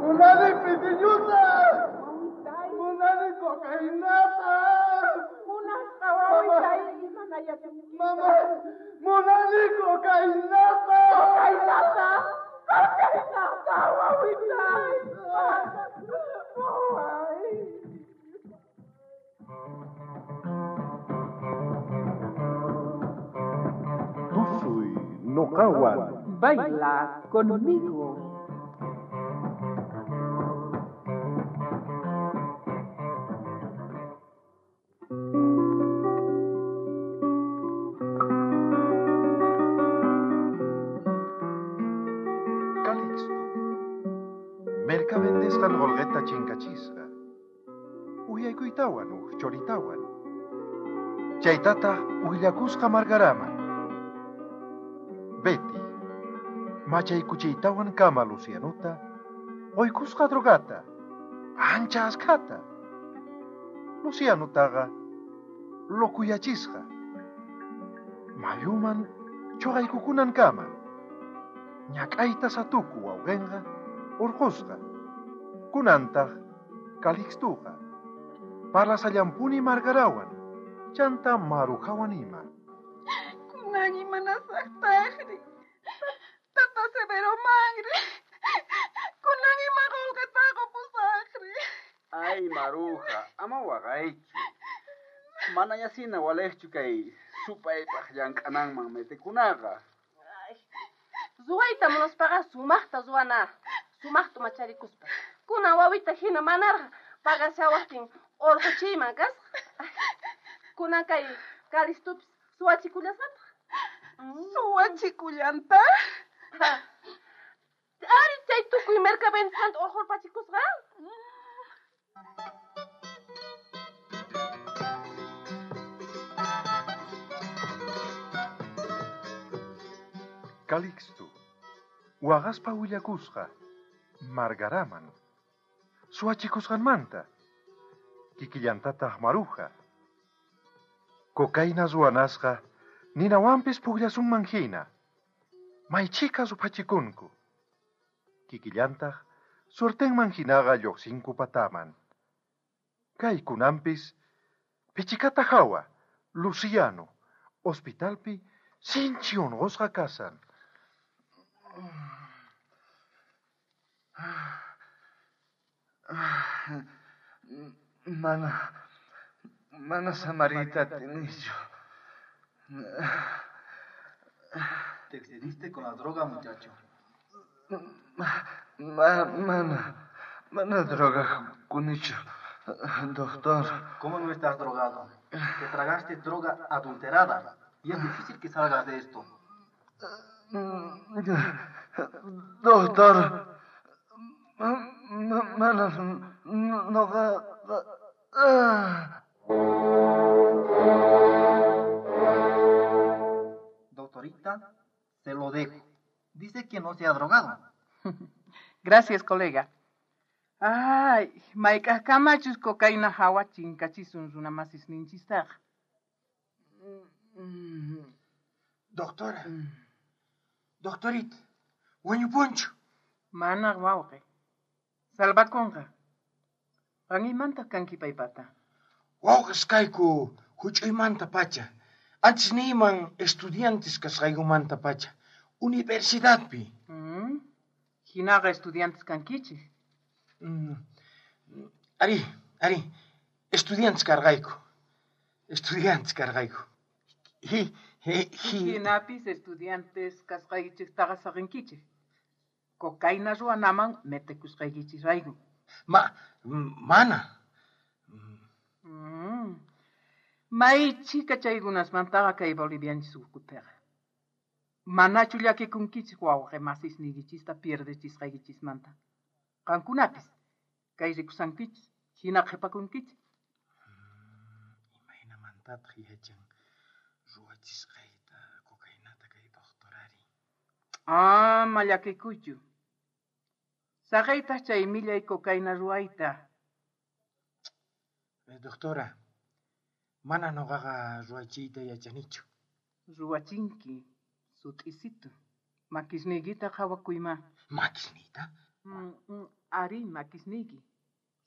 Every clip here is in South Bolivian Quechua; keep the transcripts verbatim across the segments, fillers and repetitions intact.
Munani pitiñuta. Munani cocainata. Munasqa wawitay imanayachunki. Mama, munani cocainata. Cocainata. Cocainata wawitay. Waway. Tusuy noqawan. Baila conmigo. Calixto. Merka vendesqan qolqeta chinkachisqa. Uyaykuytawan uj choritawan. Chaytataq willakusqa Margaraman. Betty, machaykuchiytawan kama Lucianuta, qoykusqa drogata, ancha askhata. Lucianutaqa lokuyachisqa. Mayuman chuqaykukunan kama. Ñak'ayta satuku wawqinqa urqusqa. Kunantaq Calixtuqa parlasallampuni Margarawan, chanta Marujawan ima. Kunan imanasaqtaqri. Tata Severo manri. Kunan ima qolqeta qopusaqri. Ay, Maruja, ama waqaychu. Manayasina walejchu kay supaypaq llank'ananman metikunaqa. Ay, ruwayta munaspaqa sumaqta ruwana. Sumaqta macharikuspa. Kunan wawita hina manarqa pagashawaqtin urquchiyman kasqa. Kunan kay Calixtupis suwachikullasqataq. Suwachikullantaq? Ari chay tukuy merka vendisqanta urqurpachikusqa. Calixto, waqaspa willakusqa Margaraman, suwachikusqanmanta, kikillantataq Maruja. Cocaína ruwanasqa ninawanpis pukllasunman hina, maychika ruphachikunku. Kikillantaq suertenman hinaqa lluqsinku pataman. Kay kunanpis pichikata hawa, Luciano, hospitalpi sinchi unqusqa kasan. Mana, mana samarita atinichu. Te excediste con la droga, muchacho. Ma, mana, mana droga kunichu, doctor. ¿Cómo no estás drogado? Te tragaste droga adulterada y es difícil que salgas de esto. Doctor, mana noqa. Doctorita, se lo dejo. Dice que no se ha drogado. Gracias, colega. Ay, mayk'aqkamachus cocaína hawa chinkachisun runamasis ninchistaqa. Doctora, doctorita, wañupunchu. Mana wawqi. Salvakunqa. Qan imantaq kanki paypata? Wawqis kayku huch'uymanta pacha. Antes niyman estudiantes kasqaykumanta pacha. Universidadpi. Mm. Hinaqa estudiantes kankichik. Mm. Ari, ari, estudiantes karqayku. Estudiantes karqayku. Hi, hi, hi. Hinapis estudiantes kasqaykichiktaqa saqinkichik. Cocaína ruwanaman metikusqaykichisrayku. Ma, mana. Mm. May chika chaykunasmantaqa kay bolivianchis ukhupiqa. Manachu llakikunkichik wawqi masisniykichista pierdechisqaykichismanta. Qankunapis kay rikusankichis, hina qhipakunkichik. Imaynamantataq yachan ruwachisqayta cocainata kay doctorari? Ama llakikuychu. Saqaytaq chay millay cocaína ruwayta. Doctora, mana noqaqa ruwachiyta yachanichu. Ruwachinki, sut'isitu. Makisniykita qhawakuyma. Makisniyta? Mm, mm, Ari, makisniyki.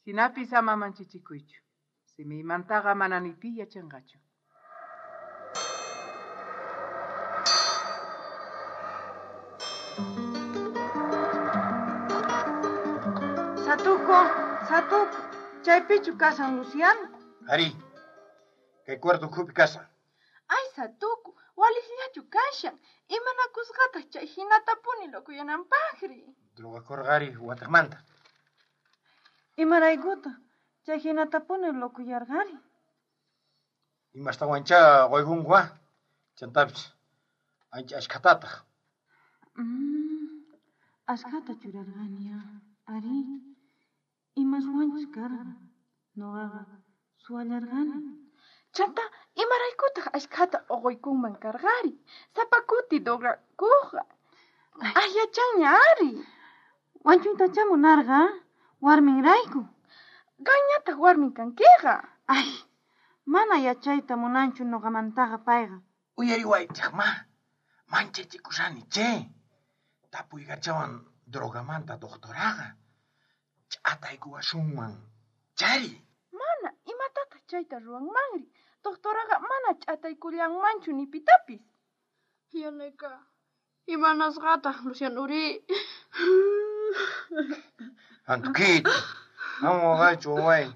Hinapis ama manchichikuychu. Simiymantaqa mana ni pi yachanqachu. Satuco, Satuco, chaypichu kashan Luciano? Ari, kay cuarto ukhupi kashan. Ay, Satuco, waliqllachu kashan. Imanakusqataq chay hinatapuni lokuyananpaqri. Drogakorqari wataqmanta. Imaraykutaq chay hinatapuni lokuyarqari? Imastawanchá qoykunku ah. Chantapis ancha ashkhatataq. Mm, ashkhata churarqani ah. Ari, imaswanchus karqa. Noqaqa suwallarqani. Chanta, imaraykutaq ashkhata uquykunman karqari? Sapa kuti drogakuqqa. Ay, yachanña ari. Wañuytachá munarqa, warminrayku. Qanñataq warmin kankiqa. Ay, mana yachayta munanchu noqamantaqa payqa. Uyariwaychej ma. Manchachikushani che. Tapuykachawan drogamanta doctoraqa. Ch'ataykuwasunman. Chari. Mana, imatataq chayta ruwanmanri? Doctoraqa mana ch'ataykullanmanchu ni pitapis. Yanayka, imanasqataq Lucianuri? Antukita, ama waqaychu waway.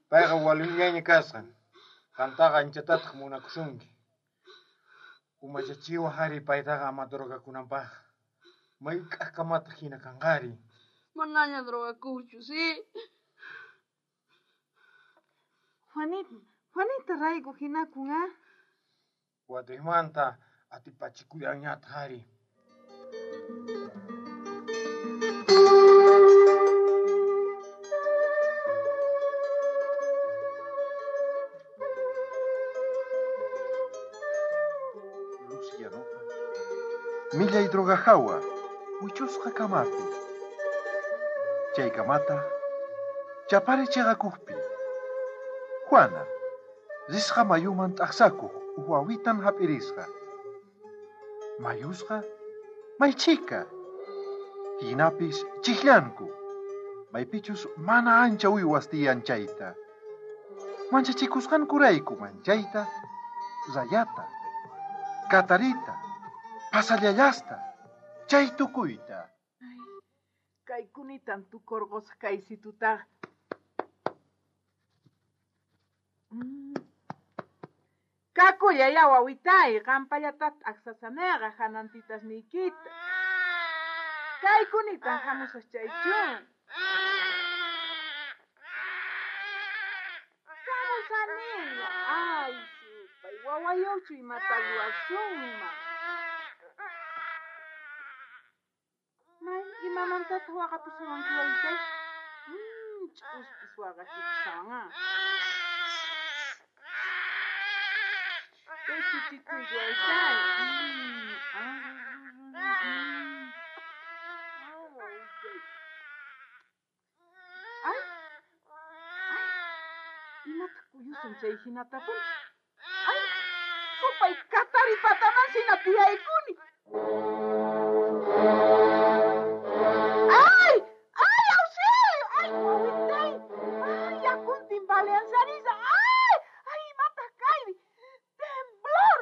Payqa walillaña kasqa. Qantaqa anchatataq munakusunki. Umachachiwaj ari paytaqa ama drogakunanpaq. Mayk'aqkamataq hina kanqari. Manaña drogakuqchu, sí? Juanita, Juanita rayku hinakun ah. Watejmanta atipachikuyanñataq ari. Lucianoqa millay drogajawa wichusqa kamapi. Chaykamataq chapari chiqakuqpi. Juana, risqa mayuman t'aqsakuq uj wawitan hap'irisqa. Mayusqa maychika. Hinapis chiqllanku. Maypichus mana ancha uywas tiyan chayta. Manchachikusqankurayku manchayta, rayata, katarita, pasallallasta, chay tukuyta. Kaykunitan tukurqusaq kaysitutaqa. Mm. Kakullay wawitay, qampallata t'aqsasaneqa hanantitasniykita. Kaykunitan hamusaq chaychun. Hamusaniña, ay supay, wawayuchu imata ruwasunman. May, imamantataq waqapusawanki wawitay? Mm, ch'uspis waqashikushawan ah. Pechuchikuy wawitay. Mm, ah, mm. Ah, wawitay. Ay, ay, imataq kuyusan chay hinatapuni? Ay, supay katari pataman hina tiyaykuni. Ay, ay, auxilio! Ay, wawitay! Ay, yakuntin baleanzarisa! Ay, ay, imataq kayri! Temblor!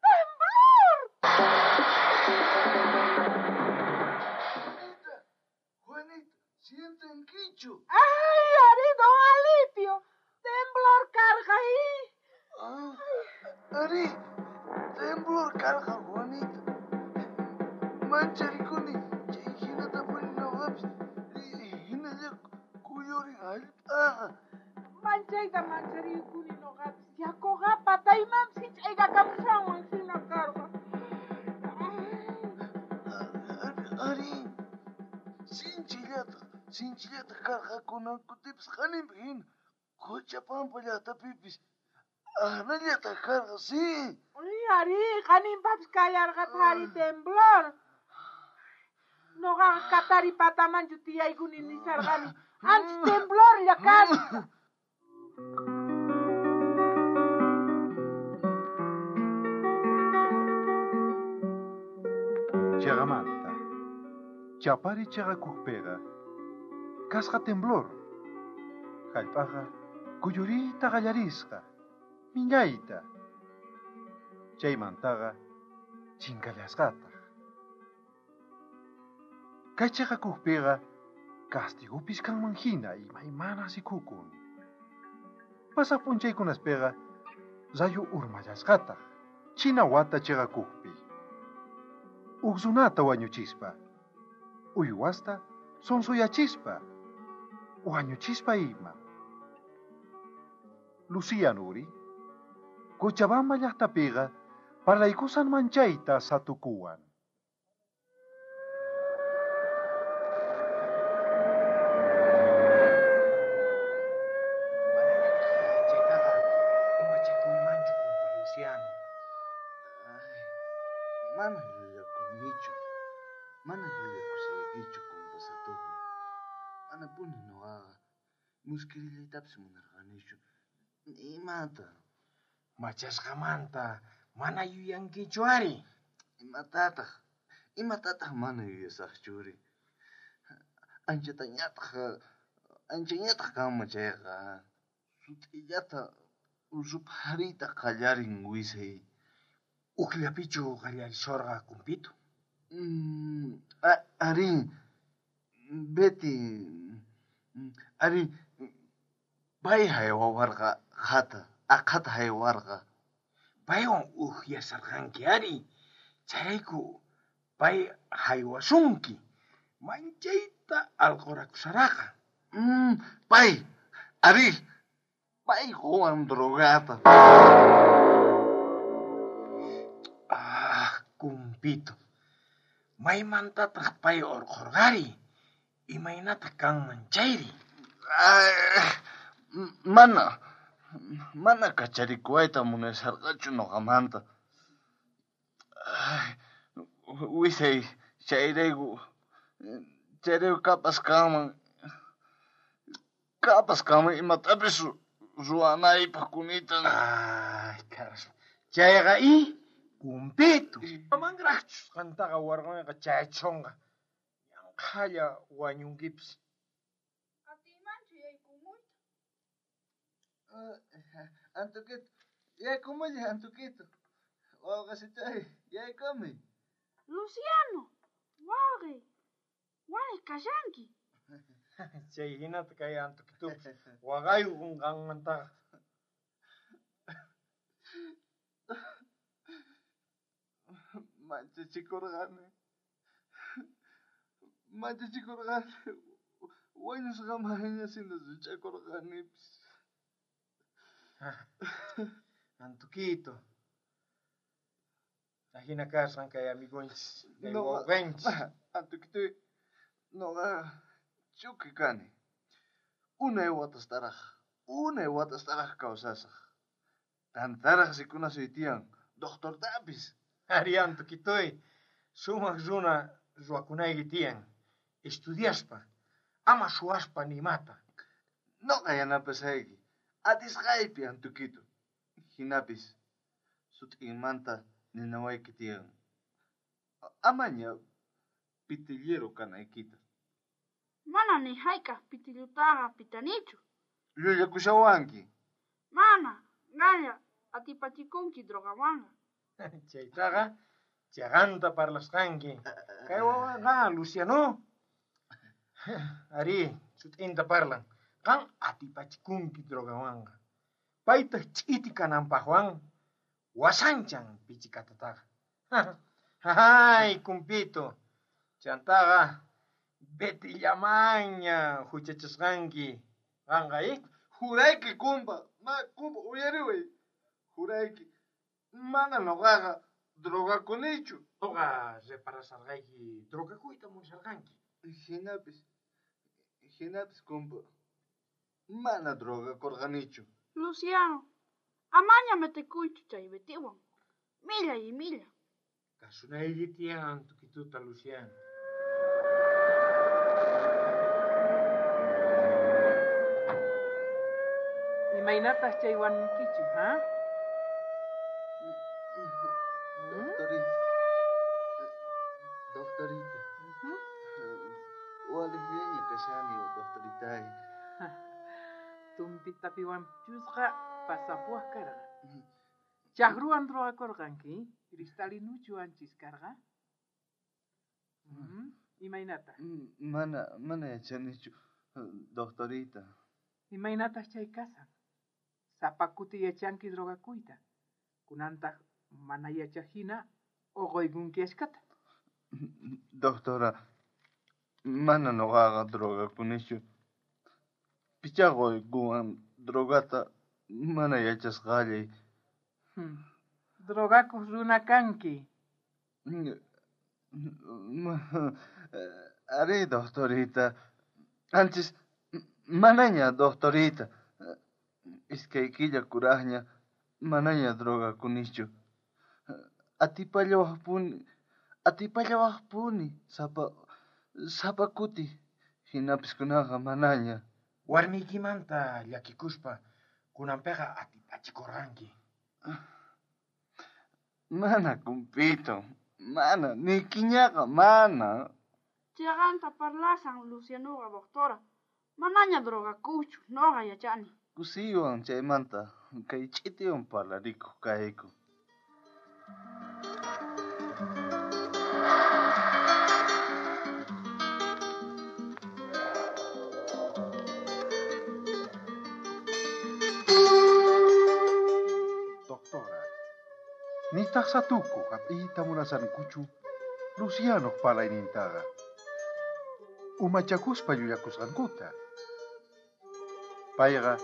Temblor! Juanita, Juanita, sientankichu. Ay, ari, don Alipio! Temblor karqa i. Ah, ari, temblor karqa, Juanita. Mancharikuni, chay hinatapuni noqapis, hinalla kuyurin hallp'aqa. Manchayta mancharikuni noqapis. Yakuqa pataymanpis hich'aykakamushanwan hina karqa. Ari, ari, sinchillataq, sinchillataq karqa kunan kutipis haninpi hina Quchapampa llaqtapipis ahnallataq karqa, sí. Ay, ari, haninpapis kallarqataq ari temblor. Noqaqa katari patamanchu tiyaykuni nisharqani. Ancha temblorlla kasqa. Chiqamanta. Chapari chaqakujpiqa kasqa temblor. Jallp'aqa kuyuriyta qallarisqa, millayta. Chaymantaqa chinkallasqataq. Kay chaqakujpiqa castigopis kanman hina imaymana sikukun. Pasaq p'unchaykunaspiqa rayo urmallasqataq, china wata chaqakujpi. Uj runata wañuchispa, uywasta sonsuyachispa, wañuchispa ima. Lucía Nuri, Cochabamba llaqtapiqa parlaykusan manchayta satukuwan. Chaytaqa umachakuymanchu, kumpa Luciano. Ay, mana llullakunichu. Mana llullakusaykichu, kumpa Satuku. Manapuni noqaqa muskirillaytapis munarqanichu. Imata? Machasqamanta mana yuyankichu ari. Imatataq? Imatataq mana yuyasaqchuri? Anchatañataq, anchañataq kanman chayqa. Sut'illata ruphariyta qallarin wisay. Ujllapichu qallarisorqa, kumpito? Mm, a- arí, Betty, arí, pay haywawarqa aqhata, aqhata haywarqa. Paywan ujyasarqanki ari. Chayrayku pay haywasunki. Manchayta alqurakusaraqa. Mm, pay, arí, pay qowan drogata. Ah, kumpito. Maymantataq pay urqhurqari? Imaynataq kanman chayri? Ay, mana, mana kacharikuwayta munasharqachu noqamanta. Ay, wisay, chayrayku, chayrayku kapas kanman, kapas kanman imatapis ruwanaypaq kunitan. Ay, caraspa. Chayqa i kumpito. Manraqchus qantaqa warqunqa chayachunqa. Yanqhalla wañunkipis. Atiymanchu yaykumuyta? Antukito, yaykumullay, Antukito. Wawqasitay, yaykumuy. Luciano, wawqi, walej kashanki. Chay hinata kay Antukitupis waqaykun qanmantaqa. Manchachikurqani. Manchachikurqani. Wañusqamanña sina such'akurqanipis. Antukito. Ajina kasqan kay amigonchis, kay Noqa- wawqenchis. Antukito, noqa chuki kani. Unay watastaraj, unay watastaraj kawsasaj. Tantaraj rikunasuy tiyan, doctortapis. Ari Antukitoy, sumaq runa ruwakunayki tiyan. Estudiaspa, ama suwaspa nimata. Noqa yanapasayki, atisqaypi Antukito. Jinapis, sut'inmanta ninawayki tiyan. Amaña pitillero kanaykita. Mana ni hayk'aq pitillutaqa pitanichu. Llullakushawanki. Mana, qanlla atipachikunki drogawanqa. Chaytaqa chaqanta parlasqanki. Kay wawaqa Luciano. Ari, sut'inta parlan. Qan atipachikunki drogawanqa. Paytaq ch'iti kananpaqwan wasanchan pichikatataqa. Ay, kumpito. Chantaqa Betty-llamanña huchachasqanki. Qanqa, eh? Jurayki, kumpa, ma, kumpa, uyariway. Jurayki, mana noqaqa drogakunichu. Noqa reparasarqayki drogakuyta munasharqanki. Jinapis, jinapis, kumpa, mana drogakurqanichu. Luciano, amaña metekuychu chay Bettywan. Millay imilla. Kasunayki tiyan Antukituta, Luciano. Imaynataq chay wañunkichu, ha? Doctorita, doctorita, Ujú. Allinllaña kashani, doctoritay. Tumpitapiwanchusqa pasapuwaq karqa. Chaqruwan drogakurqanki, cristalinuchu anchis karqa? Mm, Imaynata? Mana, mana yachanichu, doctorita. Imaynataq chay kasan? Sapa kuti yachanki drogakuyta. Kunantaq mana yachaqhina uquykunki ashkata. Doctora, mana nuqaqa drogakunichu. Pichá quykuwan drogata mana yachasqallay. Hmm. Drogakuq runa kanki. Arí, doctorita. Anchis, manaña, doctorita. Iskay killa kuraqña, manaña drogakunichu. Atipallawaqpuni, atipallawaqpuni, sapa, sapa kuti, hinapis kunaqa manaña. Warmiykimanta llakikuspa kunanpiqa atipachikurqanki. Mana, kumpito, mana, nikiñaqa mana. Chayqanta parlasan Lucianoqa, doctora. Manaña drogakuqchu, noqa yachani. Kusiywan chaymanta kay ch'itiwan parlarikuq kayku. Doctora, nitaq satuku hap'iyta munasankuchu Lucianoq parlaynintaqa. Umachakuspa llullakusqankuta. Payqa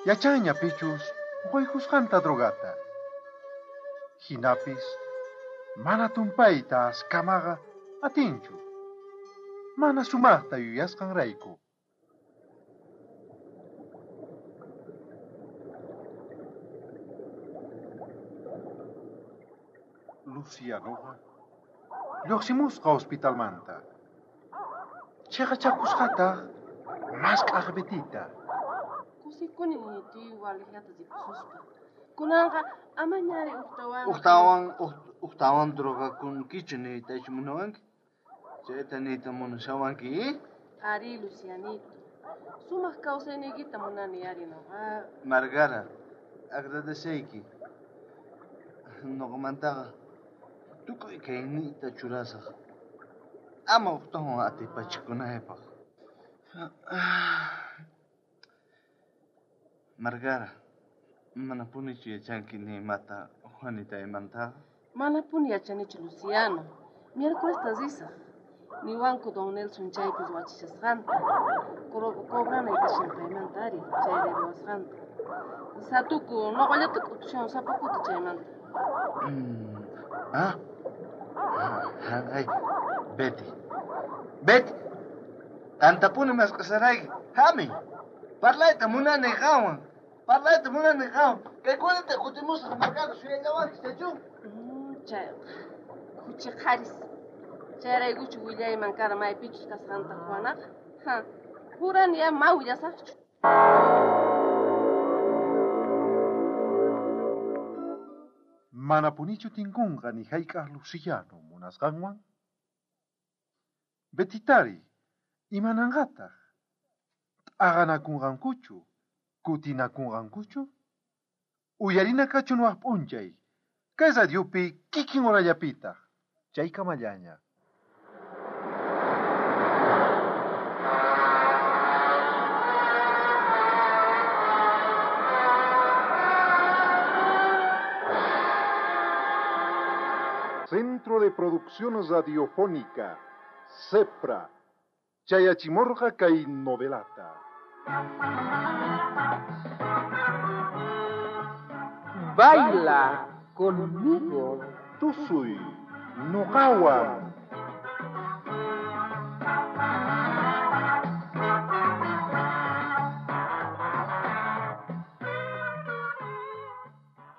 yachanña pichus uquykusqanta drogata. Hinapis mana tumpayta askamaqa atinchu. Mana sumaqta yuyasqanrayku. Lucianoqa lluqsimusqa hospitalmanta. Chiqachakusqataq mask'aq Betita. Kusikuni niytiy walejllata rikususpa. Kunanqa amañari ujtawan. Ujtawan, ujtawan drogakunkichu niytachu munawanki? Chayta niyta munashawanki? Ari, Lucianito. Sumaq kawsayniykita munani ari noqa. Margara, agradeceyki. Noqamantaqa tukuy kayniyta churasaq. Ama ujtawan atipachikunaypaq. Margara, manapunichu yachanki ni imata Juanitaymantaqa? Manapuni yachanichu, Luciano. Miércolesta risaq. Niwanku don Nelson chaypi ruwachishasqanta. Cobranay kashan paymanta ari, chay ruwasqanta. Satuku, noqallata k'utushan sapa kuti chaymanta. Mm. Ah, ay, Betty. Betty, tantapuni mask'asharayki. Hami, parlayta munani qanwan. Parlayta munani qanwan. Kaykunata kutimusaq Margara suyallawanki chaychu? Chayqa, khuchi qharis. Chayraykuchu willayman kara maypichus kasqanta Juanaqa. Ha, jurani ya ma willasaqchu. Manapunichu tinkunqa ni hayk'aq Luciano munasqanwan? Betitari, imananqataq? T'aqanakunqankuchu, kutinakunqankuchu? Uyarina kachun waq p'unchay, kay radiopi kikin horallapitaq, chaykamallaña. Centro de Producción Radiofónica, CEPRA, Chayachimorga kay novelata. Baila conmigo. Tusuy, noqawan.